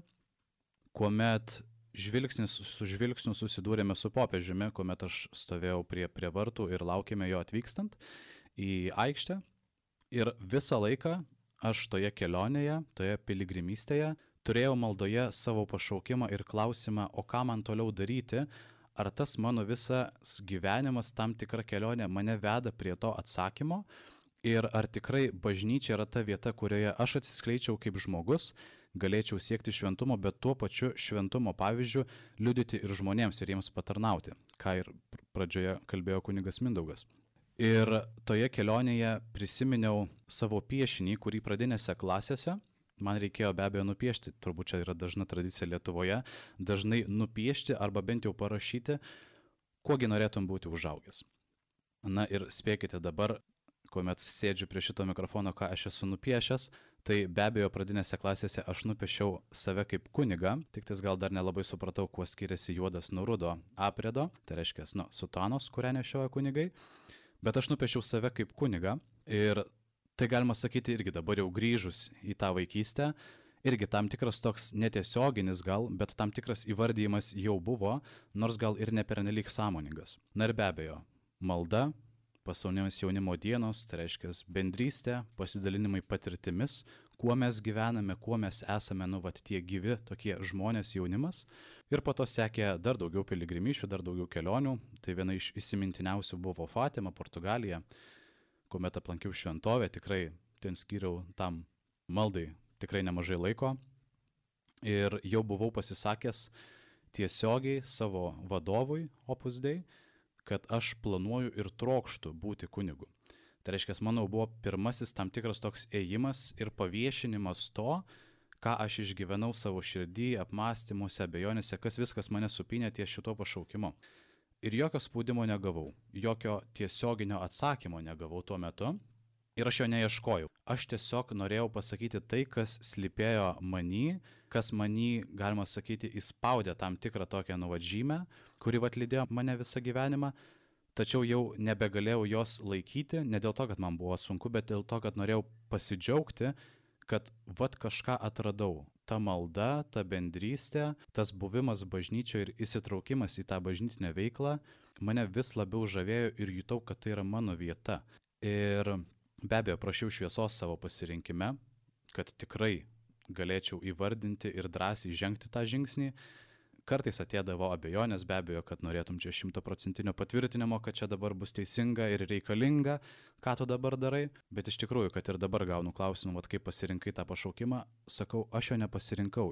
kuomet žvilgsnis su žvilgsniu susidūrėme su popiežiumi, kuomet aš stovėjau prie vartų ir laukėme jo atvykstant į aikštę. Ir visą laiką aš toje kelionėje, toje piligrimystėje turėjau maldoje savo pašaukimą ir klausimą, o ką man toliau daryti, ar tas mano visas gyvenimas, tam tikra kelionė mane veda prie to atsakymo ir ar tikrai bažnyčia yra ta vieta, kurioje aš atsiskleičiau kaip žmogus, galėčiau siekti šventumo, bet tuo pačiu šventumo pavyzdžiu liudyti ir žmonėms ir jiems patarnauti, ką ir pradžioje kalbėjo kunigas Mindaugas. Ir toje kelionėje prisiminiau savo piešinį, kurį pradinėse klasėse man reikėjo be abejo nupiešti, turbūt čia yra dažna tradicija Lietuvoje, dažnai nupiešti arba bent jau parašyti, kuogi norėtum būti užaugęs. Na ir spėkite dabar, kuomet sėdžiu prie šito mikrofono, ką aš esu nupiešęs, tai be abejo pradinėse klasėse aš nupiešiau save kaip kunigą, tik tais gal dar nelabai supratau, kuo skiriasi juodas nuo rudo apredo, tai reiškia, sutanos, kurią nešioja kunigai, bet aš nupiešiau save kaip kunigą ir tai galima sakyti irgi dabar jau grįžus į tą vaikystę, irgi tam tikras toks netiesioginis gal, bet tam tikras įvardyjimas jau buvo, nors gal ir ne pernelyg sąmoningas. Na ir be abejo, malda, pasaulinės jaunimo dienos, tai reiškia bendrystė, pasidalinimai patirtimis, kuo mes gyvename, kuo mes esame, tie gyvi tokie žmonės jaunimas. Ir po to sekė dar daugiau piligrimyšių, dar daugiau kelionių. Tai viena iš įsimintiniausių buvo Fatima, Portugalija, kuomet aplankiau šventovę, tikrai ten skyriau tam maldai tikrai nemažai laiko. Ir jau buvau pasisakęs tiesiogiai savo vadovui Opus Dei, kad aš planuoju ir trokštu būti kunigu. Tai reiškia, manau, buvo pirmasis tam tikras toks ėjimas ir paviešinimas to, ką aš išgyvenau savo širdį, apmąstymuose, abejonėse, kas viskas mane supynė ties šito pašaukimo. Ir jokio spaudimo negavau, jokio tiesioginio atsakymo negavau tuo metu ir aš jo neieškojau. Aš tiesiog norėjau pasakyti tai, kas slypėjo many, kas many, galima sakyti, įspaudė tam tikrą tokią žymę, kuri lydėjo mane visą gyvenimą. tačiau jau nebegalėjau jos laikyti, ne dėl to, kad man buvo sunku, bet dėl to, kad norėjau pasidžiaugti, kad vat kažką atradau. Ta malda, ta bendrystė, tas buvimas bažnyčioje ir įsitraukimas į tą bažnytinę veiklą mane vis labiau žavėjo ir jutau, kad tai yra mano vieta. Ir be abejo, prašiau šviesos savo pasirinkime, kad tikrai galėčiau įvardinti ir drąsiai žengti tą žingsnį. Kartais atėdavo abejonės, be abejo, kad norėtum čia 100% patvirtinimo, kad čia dabar bus teisinga ir reikalinga, ką tu dabar darai. Bet iš tikrųjų, kad ir dabar gaunu klausimą, kaip pasirinkai tą pašaukimą, sakau, aš jo nepasirinkau.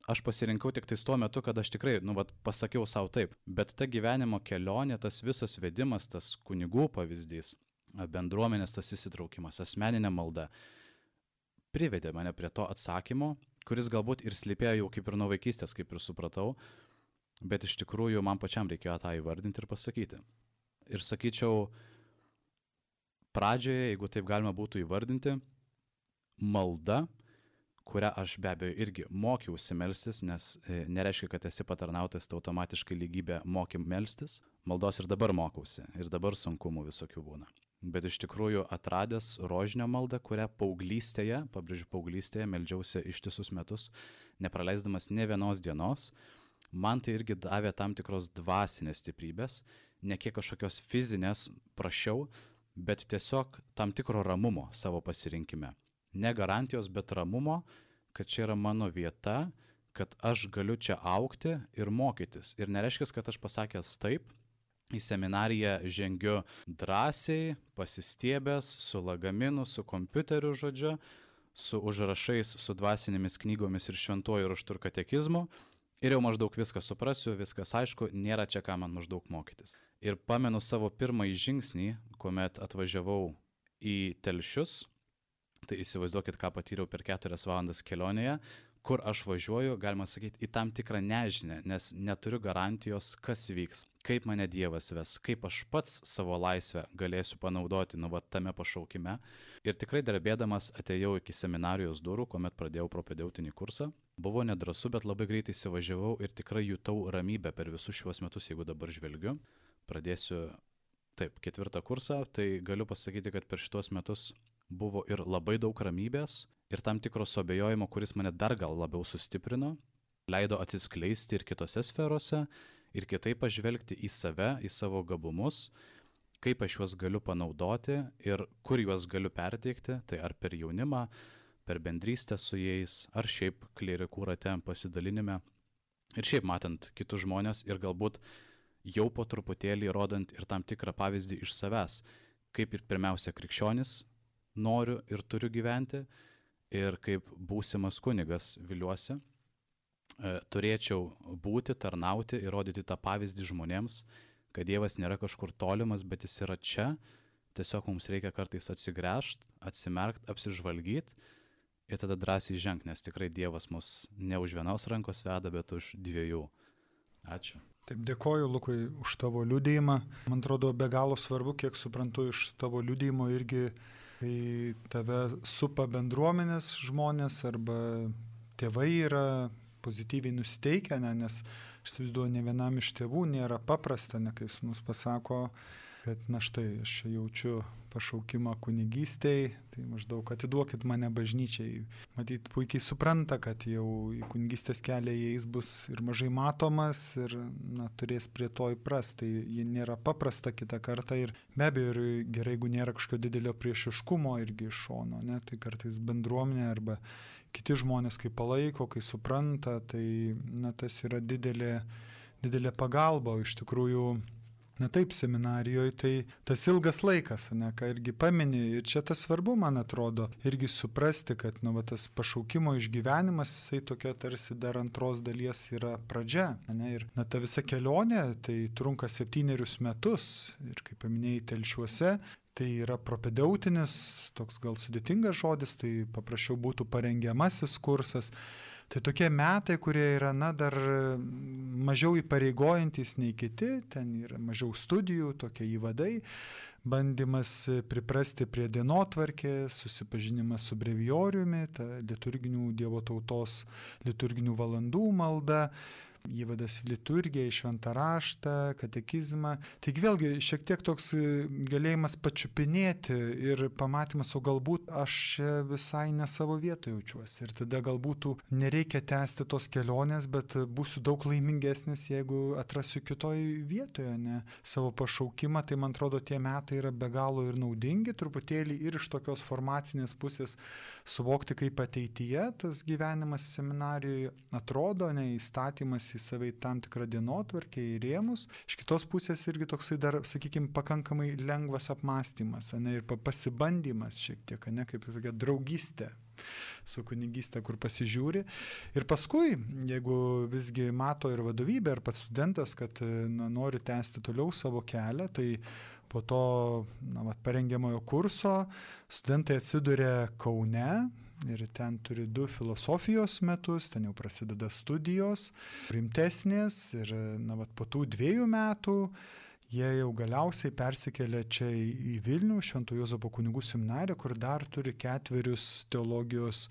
Aš pasirinkau tik tais tuo metu, kad aš tikrai, pasakiau savo taip. Bet ta gyvenimo kelionė, tas visas vedimas, tas kunigų pavyzdys, bendruomenės tas įsitraukimas, asmeninė malda, privedė mane prie to atsakymo, kuris galbūt ir slypėjo jau kaip ir nuo vaikystės, kaip ir supratau, bet iš tikrųjų man pačiam reikėjo tą įvardinti ir pasakyti. Ir sakyčiau, pradžioje, jeigu taip galima būtų įvardinti, malda, kurią aš be abejo irgi mokiausi melstis, nes nereiškia, kad esi patarnautas, tai automatiškai lygybė moki melstis. Maldos ir dabar mokausi, ir dabar sunkumų visokių būna. Bet iš tikrųjų atradęs rožinio maldą, kurią paauglystėje, pabrėžiu paauglystėje, meldžiausi ištisus metus, nepraleisdamas ne vienos dienos, man tai irgi davė tam tikros dvasinės stiprybės, ne kiek kažkokios fizinės prašiau, bet tiesiog tam tikro ramumo savo pasirinkime. Ne garantijos, bet ramumo, kad čia yra mano vieta, kad aš galiu čia augti ir mokytis. Ir nereiškia, kad aš pasakęs taip, į seminariją žengiu drąsiai, pasistiebęs, su lagaminu, su kompiuteriu žodžiu, su užrašais, su dvasinėmis knygomis ir šventuoju raštu ir katekizmu. Ir jau maždaug viską suprasiu, viskas aišku, nėra čia ką man maždaug mokytis. Ir pamenu savo pirmąjį žingsnį, kuomet atvažiavau į Telšius, tai įsivaizduokit, ką patyriau per 4 valandas kelionėje, kur aš važiuoju, galima sakyti, į tam tikrą nežinę, nes neturiu garantijos, kas vyks, kaip mane Dievas ves, kaip aš pats savo laisvę galėsiu panaudoti tame pašaukime. Ir tikrai darbėdamas atėjau iki seminarijos durų, kuomet pradėjau propedeutinį kursą. Buvo nedrąsu, bet labai greitai įsivažiavau ir tikrai jutau ramybę per visus šiuos metus, jeigu dabar žvelgiu. Pradėsiu, 4 kursą, tai galiu pasakyti, kad per šitos metus buvo ir labai daug ramybės, ir tam tikro suabejojimo, kuris mane dar gal labiau sustiprino, leido atsiskleisti ir kitose sferose, ir kitaip pažvelgti į save, į savo gabumus, kaip aš juos galiu panaudoti ir kur juos galiu perteikti, tai ar per jaunimą, per bendrystę su jais, ar šiaip klierikų rate pasidalinime, ir šiaip matant kitus žmonės ir galbūt jau po truputėlį rodant ir tam tikrą pavyzdį iš savęs, kaip ir pirmiausia krikščionis noriu ir turiu gyventi, ir kaip būsimas kunigas viliuosi, turėčiau būti, tarnauti ir rodyti tą pavyzdį žmonėms, kad Dievas nėra kažkur tolimas, bet jis yra čia, tiesiog mums reikia kartais atsigręžti, atsimerkti, apsižvalgyti ir tada drąsiai žengti, nes tikrai Dievas mus ne už vienos rankos veda, bet už 2. Ačiū. Taip, dėkoju Lukui už tavo liudijimą. Man atrodo, be galo svarbu, kiek suprantu iš tavo liudijimo irgi, kai tave supa bendruomenės žmonės arba tėvai yra pozityviai nusiteikę, nes aš įsivaizduoju, ne vienam iš tėvų nėra paprasta, kai sūnus pasako, kad na štai, aš jaučiu pašaukimą kunigystei, tai maždaug atiduokit mane bažnyčiai. Matyt, puikiai supranta, kad jau į kunigystės kelią jais bus ir mažai matomas ir turės prie to įprasti. Tai ji nėra paprasta kitą kartą ir be abejo ir gerai, jeigu nėra kažkokio didelio priešiškumo irgi iš šono, tai kartais bendruomenė arba kiti žmonės, kai palaiko, kai supranta, tai tas yra didelė pagalba, o iš tikrųjų taip, seminarijoje tai tas ilgas laikas, ką irgi pamini, ir čia tas svarbu, man atrodo, irgi suprasti, kad tas pašaukimo išgyvenimas, jisai tokia tarsi dar antros dalies yra pradžia, ir ta visa kelionė, tai trunka 7 metus, ir kaip paminėjai, Telšiuose, tai yra propedeutinis, toks gal sudėtingas žodis, tai paprasčiau būtų parengiamasis kursas. Tai tokie metai, kurie yra dar mažiau įpareigojantis nei kiti, ten yra mažiau studijų, tokie įvadai, bandymas priprasti prie dienotvarkės, susipažinimas su brevijoriumi, ta liturginių Dievo tautos liturginių valandų malda. įvadas į liturgiją, į šventą raštą, katekizmą. Taigi vėlgi šiek tiek toks galėjimas pačiupinėti ir pamatymas, o galbūt aš čia visai ne savo vietoje jaučiuosi. Ir tada galbūt nereikia tęsti tos kelionės, bet būsiu daug laimingesnis, jeigu atrasiu kitoj vietoje, ne, savo pašaukimą. Tai man atrodo, tie metai yra be galo ir naudingi, truputėlį ir iš tokios formacinės pusės suvokti, kaip ateityje tas gyvenimas seminarijoje atrodo, ne, įstatymas į save tam tikrą dienotvarkę, į rėmus. Iš kitos pusės irgi toksai dar, sakykime, pakankamai lengvas apmąstymas, ne, ir pasibandymas šiek tiek, ne, kaip tokia draugystė su kunigystė, kur pasižiūri. Ir paskui, jeigu visgi mato ir vadovybė, ir pats studentas, kad nori tęsti toliau savo kelią, tai po to parengiamojo kurso studentai atsiduria Kaune ir ten turi 2 filosofijos metus, ten jau prasideda studijos rimtesnės ir po tų 2 metų jie jau galiausiai persikelia čia į Vilnių, Švento Juozapo kunigų seminariją, kur dar turi 4 teologijos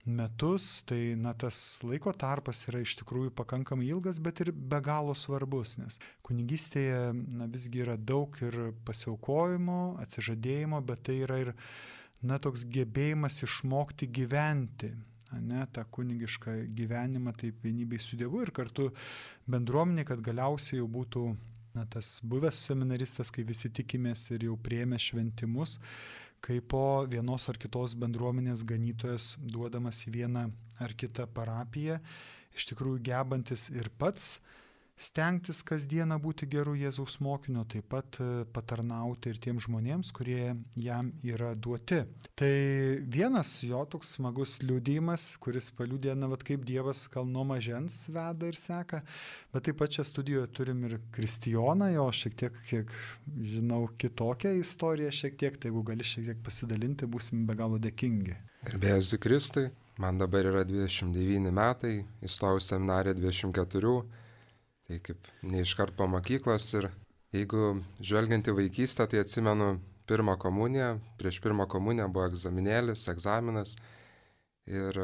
metus. Tai tas laiko tarpas yra iš tikrųjų pakankamai ilgas, bet ir be galo svarbus, nes kunigystėje visgi yra daug ir pasiaukojimo, atsižadėjimo, bet tai yra ir toks gebėjimas išmokti gyventi, ne, tą kunigišką gyvenimą, taip vienybėj su Dievu ir kartu bendruomenė, kad galiausiai jau būtų tas buvęs seminaristas, kai visi tikimės ir jau priėmė šventimus, kaip po vienos ar kitos bendruomenės ganytojas duodamas į vieną ar kitą parapiją, iš tikrųjų gebantis ir pats stengtis kasdieną būti geru Jėzaus mokiniu, taip pat patarnauti ir tiems žmonėms, kurie jam yra duoti. Tai vienas jo toks smagus liudijimas, kuris paliudė, kaip Dievas gal nuo mažens veda ir seka, bet taip pat čia studijoje turim ir Kristijoną, jo šiek tiek, kiek žinau, kitokią istoriją šiek tiek, tai jeigu gali šiek tiek pasidalinti, būsim be galo dėkingi. Garbėsiu Kristui, man dabar yra 29 metai, įstojau seminariją 24, tai kaip neiškart po mokyklos ir jeigu žvelgiant į vaikystę, tai atsimenu pirmą komuniją, prieš pirmą komuniją buvo egzaminas ir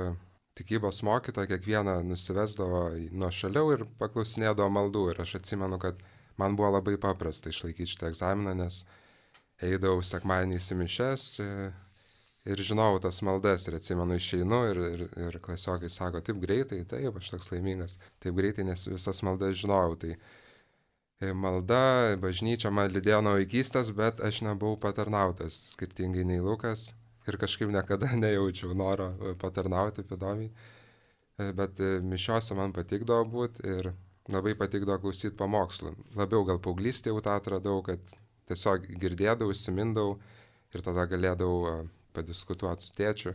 tikybos mokytoja kiekvieną nusivesdavo nuo šaliau ir paklausinėdavo maldų ir aš atsimenu, kad man buvo labai paprasta išlaikyti šitą egzaminą, nes eidavau sekmadieniais į mišias ir žinojau tas maldas ir atsimenu išeinu ir klasiokai sako, taip greitai, taip, aš toks laimingas, taip greitai, nes visas maldas žinojau. Tai malda, bažnyčia man lydėjo nuo vaikystės, bet aš nebuvau patarnautas, skirtingai nei Lukas ir kažkaip niekada nejaučiau noro patarnauti padomiai. Bet mišiose man patikdavo būti ir labai patikdavo klausyti pamokslų. Labiau gal paauglystėje jau tą atradau, kad tiesiog girdėdavau, įsimindavau ir tada galėdavau padiskutuoti su tėčiu,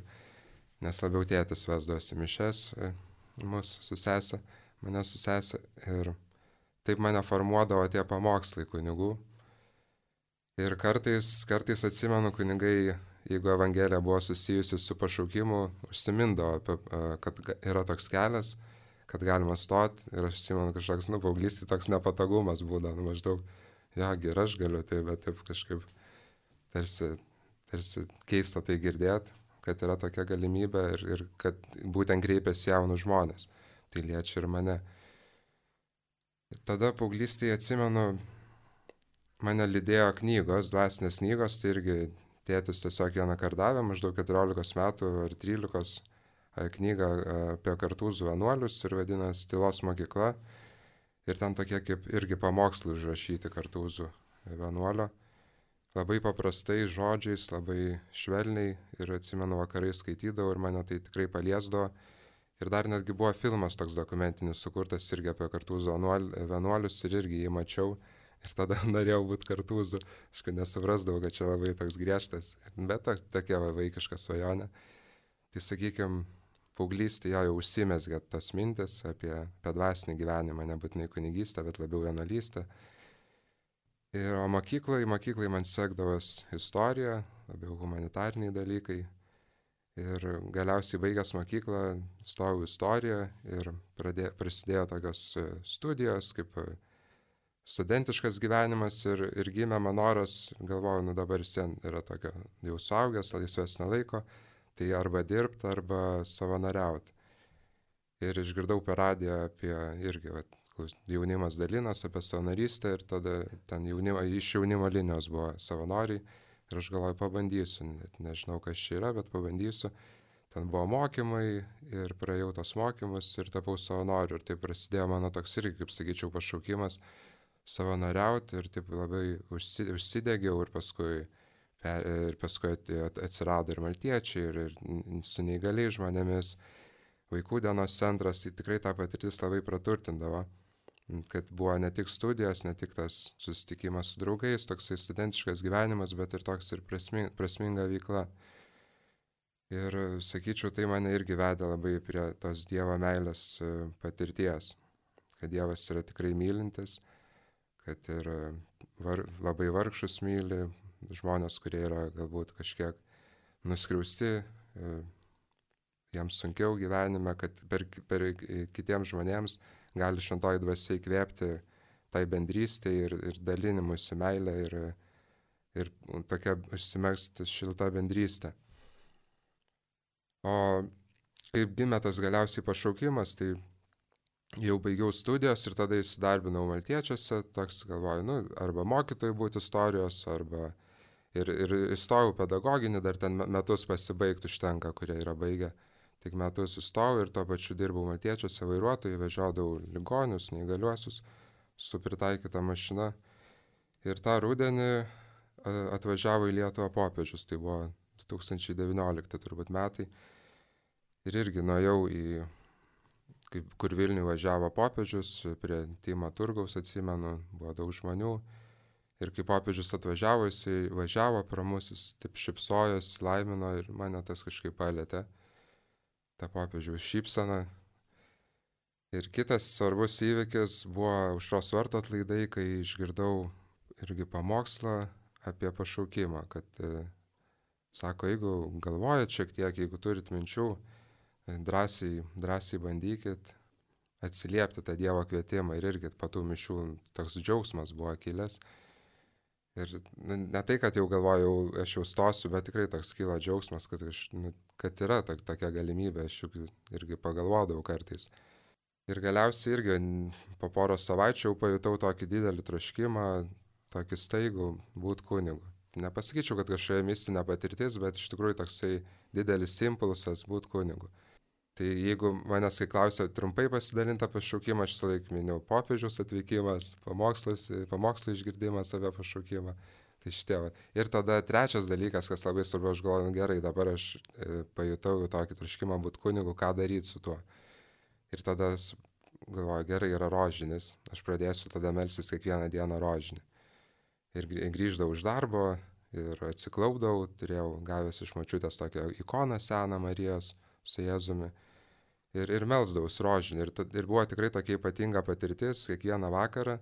nes labiau tėtis vesdosi mišias, mane su sesė ir taip mane formuodavo tie pamokslai kunigų. Ir kartais atsimenu, kunigai, jeigu evangelija buvo susijusi su pašaukimu, užsimindavo, kad yra toks kelias, kad galima stoti ir aš atsimenu kažkoks, paauglystėje toks nepatogumas būdavo, maždaug, ir aš galiu tai, bet taip kažkaip tarsi keista tai girdėti, kad yra tokia galimybė ir kad būtent kreipiasi jaunus žmonės. Tai liečia ir mane. Ir tada paauglystėje atsimenu, mane lydėjo knygos, dvasinės knygos, tai irgi tėtis tiesiog vieną kartą davė, maždaug 14 metų ar 13 knygą apie Kartūzų vienuolius ir vadinasi Tylos mokykla. Ir ten tokie kaip irgi pamokslai užrašyti Kartūzų vienuolio. Labai paprastai žodžiais, labai švelniai ir atsimenu vakarai skaitydavau ir mane tai tikrai paliesdavo. Ir dar netgi buvo filmas toks dokumentinis sukurtas irgi apie Kartūzų vienuolius ir irgi jį mačiau. Ir tada norėjau būti Kartūzų. Aš nesuprasdavau, kad čia labai toks griežtas, bet tokia vaikiška svajonė. Tai sakykime, paauglystėje jau užsimezgė tos mintis apie dvasinį gyvenimą, nebūtinai kunigystę, bet labiau vienuolystę. Ir mokyklai man sekdavos istorija, labiau humanitariniai dalykai. Ir galiausiai baigęs mokyklą, stojau istoriją ir prasidėjo tokios studijos, kaip studentiškas gyvenimas ir gimė man noras, galvoju, dabar visien yra tokio jau suaugęs, laisvesnio laiko, tai arba dirbti, arba savanoriauti. Ir išgirdau per radiją apie irgi jaunimas dalinas apie savanorystę ir tada ten iš jaunimo linijos buvo savanoriai ir aš galvoju, pabandysiu, net nežinau, kas čia yra, bet pabandysiu. Ten buvo mokymai ir praėjau tos mokymus ir tapau savanoriu ir taip prasidėjo mano toks irgi, kaip sakyčiau, pašaukimas savanoriauti ir taip labai užsidegiau ir paskui atsirado ir maltiečiai, ir su neįgaliais žmonėmis, vaikų dienos centras, tai tikrai ta patirtis labai praturtindavo, kad buvo ne tik studijos, ne tik tas susitikimas su draugais, toksai studentiškas gyvenimas, bet ir toks ir prasminga veikla. Ir sakyčiau, tai mane irgi vedė labai prie tos Dievo meilės patirties, kad Dievas yra tikrai mylintis, kad ir labai vargšus myli, žmonės, kurie yra galbūt kažkiek nuskriausti, jiems sunkiau gyvenime, kad per kitiems žmonėms gali šventoji dvasia įkvėpti tai bendrystė ir dalinimusi meilę ir tokia užsimegzti šilta bendrystė. O kaip gimė tas galiausiai pašaukimas, tai jau baigiau studijas ir tada įsidarbinau Maltiečiuose, toks galvoju, arba mokytojų būti istorijos, arba ir įstojau pedagoginį, dar ten metus pasibaigti užtenka, kurie yra baigę. Tik metus įstojau ir tuo pačiu dirbau Maltiečiuose vairuotojai, vežiodavau ligonius, neįgaliuosius su pritaikyta mašina. Ir tą rudenį atvažiavo į Lietuvą popiežius, tai buvo 2019 turbūt metai. Ir irgi nuėjau kur Vilniuje važiavo popiežius, prie Tymo turgaus, atsimenu, buvo daug žmonių. Ir kai popiežius atvažiavo, jisai važiavo pro mus, jis taip šypsojos, laimino ir mane tas kažkaip palėtė, ta popiežiaus šypsena. Ir kitas svarbus įvykis buvo Aušros vartų atlaidai, kai išgirdau irgi pamokslą apie pašaukimą, kad sako, jeigu galvojat šiek tiek, jeigu turit minčių, drąsiai bandykit atsiliepti tą Dievo kvietimą. Ir irgi po tų mišių toks džiaugsmas buvo kilęs. Ir ne tai, kad jau galvojau, aš jau stosiu, bet tikrai toks kyla džiaugsmas, kad yra tokia galimybė, aš juk irgi pagalvodavau kartais. Ir galiausiai irgi po poros savaičių jau pajutau tokį didelį troškimą, tokį staigų būti kunigu. Nepasakyčiau, kad kažkokia mistinė patirtis, bet iš tikrųjų toksai didelis impulsas būti kunigu. Tai jeigu manęs kai klausia trumpai pasidalinti apie pašaukimą, aš visąlaik miniu popiežiaus atvykimas, pamokslo išgirdimas apie pašaukimą. Tai šitie. Ir tada trečias dalykas, kas labai svarbu, aš galvoju, gerai, dabar aš pajutau tokį troškimą būti kunigu, ką daryti su tuo. Ir tada galvoju, gerai, yra rožinis, aš pradėsiu tada melstis kiekvieną dieną rožinį. Ir grįždavau iš darbo ir atsiklaupdavau, turėjau gavęs iš močiutės tokią ikoną seną Marijos su Jėzumi ir melsdavausi rožinį. Ir buvo tikrai tokia ypatinga patirtis kiekvieną vakarą,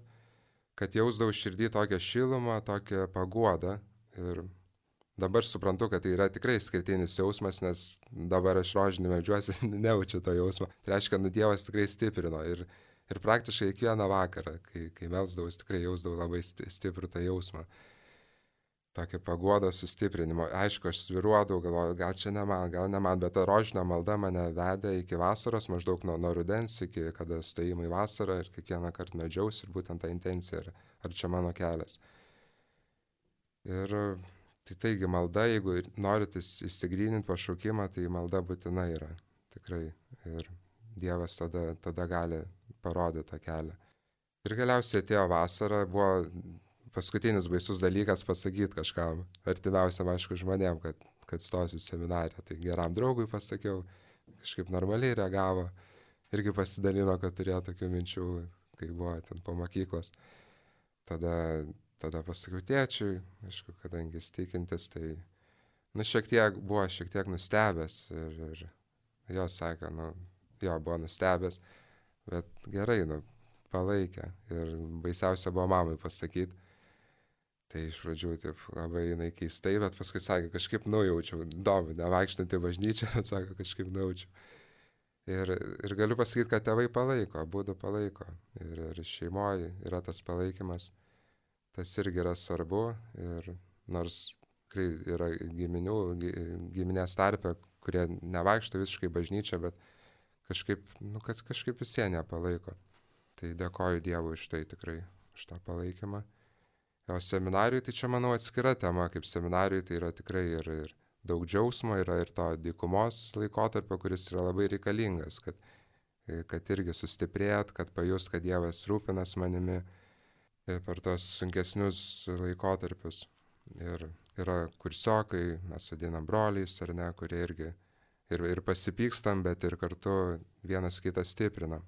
kad jausdavau širdį tokią šilumą, tokią paguodą. Ir dabar suprantu, kad tai yra tikrai skirtinis jausmas, nes dabar aš rožinį meldžiuosi, nejaučiu to jausmo. Tai reiškia, Dievas tikrai stiprino. Ir praktiškai kiekvieną vakarą, kai melsdavau, tikrai jausdavau labai stiprų tą jausmą. Tokia paguoda sustiprinimo. Aišku, aš sviruodavau, galvoju, gal čia ne man, bet ta rožinio malda mane vedė iki vasaros, maždaug nuo rudens iki kada stojimai į vasarą ir kiekvieną kartą meldžiausi ir būtent ta intencija, ar čia mano kelias. Ir taigi malda, jeigu norit išsigryninti pašaukimą, tai malda būtina yra, tikrai. Ir Dievas tada gali parodyti tą kelią. Ir galiausiai atėjo vasara, buvo paskutinis baisus dalykas pasakyti kažkam, artimiausiam, aišku, žmonėm, kad stosiu seminariją. Tai geram draugui pasakiau, kažkaip normaliai reagavo, irgi pasidalino, kad turėjo tokių minčių, kai buvo ten po mokyklos. Tada pasakiau tėčiui, aišku, kadangi jis tikintis, tai buvo šiek tiek nustebęs ir jo sakė, jo buvo nustebęs, bet gerai, palaikė. Ir baisiausia buvo mamai pasakyti. Tai iš pradžių taip labai jinai keistai, bet paskui sakė, kažkaip nujaučiau, įdomu, nevaikštant į bažnyčią, bet sako, kažkaip nujaučiau. Ir galiu pasakyti, kad tėvai palaiko, abudu palaiko. Ir šeimoje yra tas palaikymas, tas irgi yra svarbu. Ir nors yra giminės tarpe, kurie nevaikšto visiškai bažnyčią, bet kažkaip vis jie nepalaiko. Tai dėkoju Dievui už tai tikrai, už tą palaikymą. O seminarijui tai čia, manau, atskira tema, kaip seminarijui tai yra tikrai ir daug džiaugsmo, yra ir to dykumos laikotarpio, kuris yra labai reikalingas, kad irgi sustiprėt, kad pajust, kad Dievas rūpinas manimi per tos sunkesnius laikotarpius. Ir yra kursiokai, mes vadinam broliais, ar ne, kurie irgi ir pasipykstam, bet ir kartu vienas kitą stiprinam.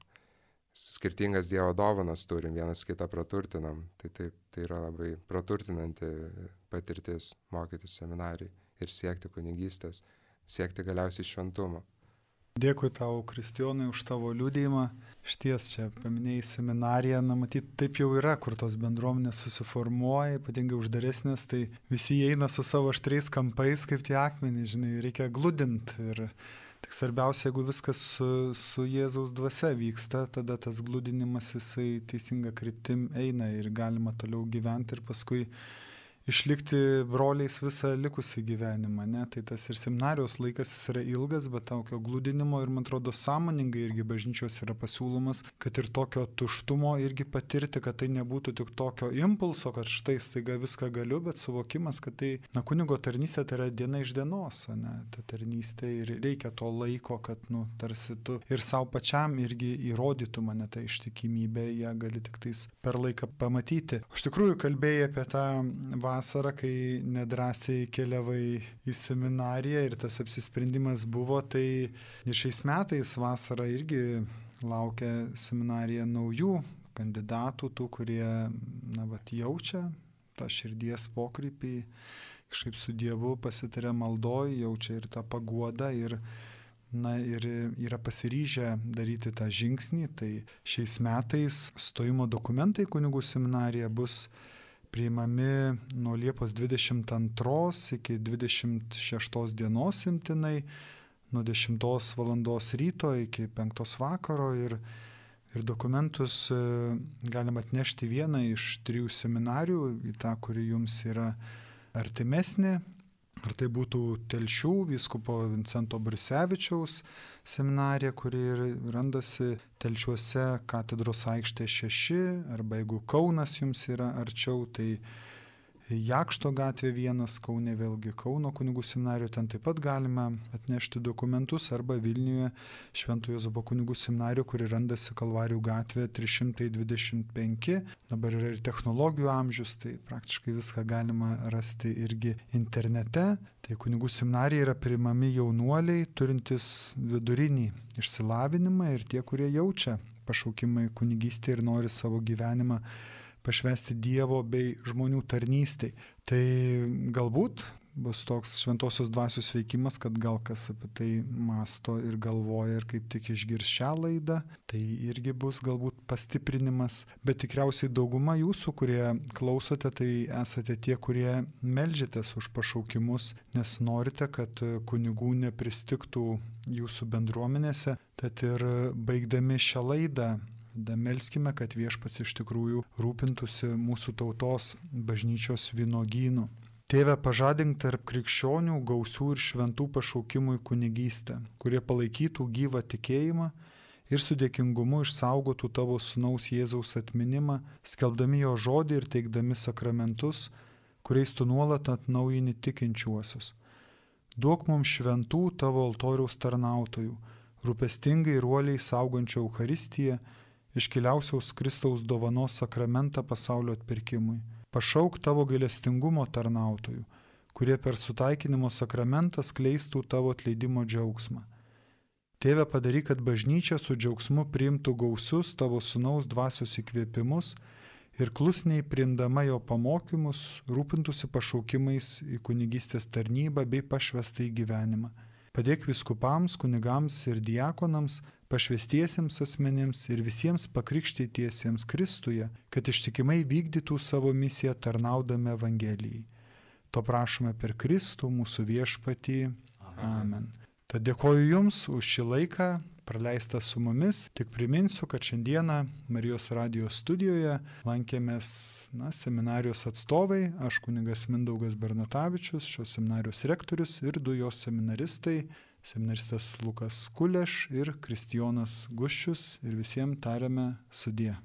Skirtingas Dievo dovanas turim, vienas kitą praturtinam. Tai yra labai praturtinanti patirtis mokytis seminarijai ir siekti kunigystės, siekti galiausiai šventumo. Dėkui tau, Kristijonai, už tavo liudijimą. Šties čia paminėjai seminariją, matyt, taip jau yra, kur tos bendruomenės susiformuoja, ypatingai uždaresnės, tai visi eina su savo aštriais kampais, kaip tie akmenys, žinai, reikia gludinti. Ir tik svarbiausia, jeigu viskas su Jėzaus dvasia vyksta, tada tas gludinimas jisai teisinga kryptim eina ir galima toliau gyventi ir paskui išlikti broliais visą likusį gyvenimą, ne? Tai tas ir seminarijos laikas yra ilgas, bet tokio glūdinimo ir, man atrodo, sąmoningai irgi bažnyčios yra pasiūlomas, kad ir tokio tuštumo irgi patirti, kad tai nebūtų tik tokio impulso, kad štai staiga viską galiu, bet suvokimas, kad tai, kunigo tarnystė tai yra diena iš dienos, ne? Ta tarnystė ir reikia to laiko, kad, tarsi tu ir savo pačiam irgi įrodytų mane tą ištikimybę, ją gali tik tais per laiką pamatyti. Iš tikrųjų, kalbėjai apie tą vasarą, kai nedrąsiai keliavai į seminariją ir tas apsisprendimas buvo, tai ir šiais metais vasarą irgi laukia seminarija naujų kandidatų, tų, kurie jaučia tą širdies pokrypį, kažkaip su Dievu pasitaria maldoj, jaučia ir tą paguodą ir yra pasiryžę daryti tą žingsnį. Tai šiais metais stojimo dokumentai kunigų seminarija bus priimami nuo Liepos 22 iki 26 dienos imtinai, nuo 10 valandos ryto iki 5 vakaro ir dokumentus galima atnešti vieną iš 3 seminarijų, į tą, kuri jums yra artimesnė. Ar tai būtų Telšių vyskupo Vincento Brisevičiaus seminarija, kuri randasi Telšiuose katedros aikštė 6, arba jeigu Kaunas jums yra arčiau, tai Jakšto gatvė 1, Kaune vėlgi Kauno kunigų seminarijoje, ten taip pat galime atnešti dokumentus, arba Vilniuje Švento Juozapo kunigų seminarijoje, kuri randasi Kalvarijų gatvė 325. Dabar yra ir technologijų amžius, tai praktiškai viską galima rasti irgi internete. Tai kunigų seminarija yra priimami jaunuoliai, turintys vidurinį išsilavinimą ir tie, kurie jaučia pašaukimą į kunigystę ir nori savo gyvenimą pašvęsti Dievo bei žmonių tarnystei. Tai galbūt bus toks šventosios dvasios veikimas, kad gal kas apie tai masto ir galvoja ir kaip tik išgirs šią laidą, tai irgi bus galbūt pastiprinimas, bet tikriausiai dauguma jūsų, kurie klausote, tai esate tie, kurie meldžiatės už pašaukimus, nes norite, kad kunigų nepristigtų jūsų bendruomenėse, tad ir baigdami šią laidą, melskime, kad Viešpats iš tikrųjų rūpintųsi mūsų tautos bažnyčios vynuogynų. Tėve, pažadink tarp krikščionių gausių ir šventų pašaukimų į kunigystę, kurie palaikytų gyvą tikėjimą ir su dėkingumu išsaugotų tavo sūnaus Jėzaus atminimą, skelbdami jo žodį ir teikdami sakramentus, kuriais tu nuolat atnaujini tikinčiuosius. Duok mums šventų tavo altoriaus tarnautojų, rūpestingai ir uoliai saugančių Eucharistiją, iškiliausiaus Kristaus dovanos sakramentą pasaulio atpirkimui. Pašauk tavo gailestingumo tarnautojų, kurie per sutaikinimo sakramentą skleistų tavo atleidimo džiaugsmą. Tėve, padaryk, kad bažnyčia su džiaugsmu priimtų gausius tavo sūnaus dvasios įkvėpimus ir klusniai priimdama jo pamokymus rūpintųsi pašaukimais į kunigystės tarnybą bei pašvestą į gyvenimą. Padėk vyskupams, kunigams ir diakonams, pašvestiesiems asmenims ir visiems pakrikštytiesiems Kristuje, kad ištikimai vykdytų savo misiją tarnaudami Evangelijai. To prašome per Kristų mūsų viešpatį. Amen. Tad dėkoju Jums už šį laiką praleistą su mumis. Tik priminsiu, kad šiandieną Marijos radijos studijoje lankėmės seminarijos atstovai, aš kunigas Mindaugas Bernatavičius, šios seminarijos rektorius ir 2 jos seminaristai. seminaristas Lukas Kuleš ir Kristijonas Guščius ir visiems tariame sudie.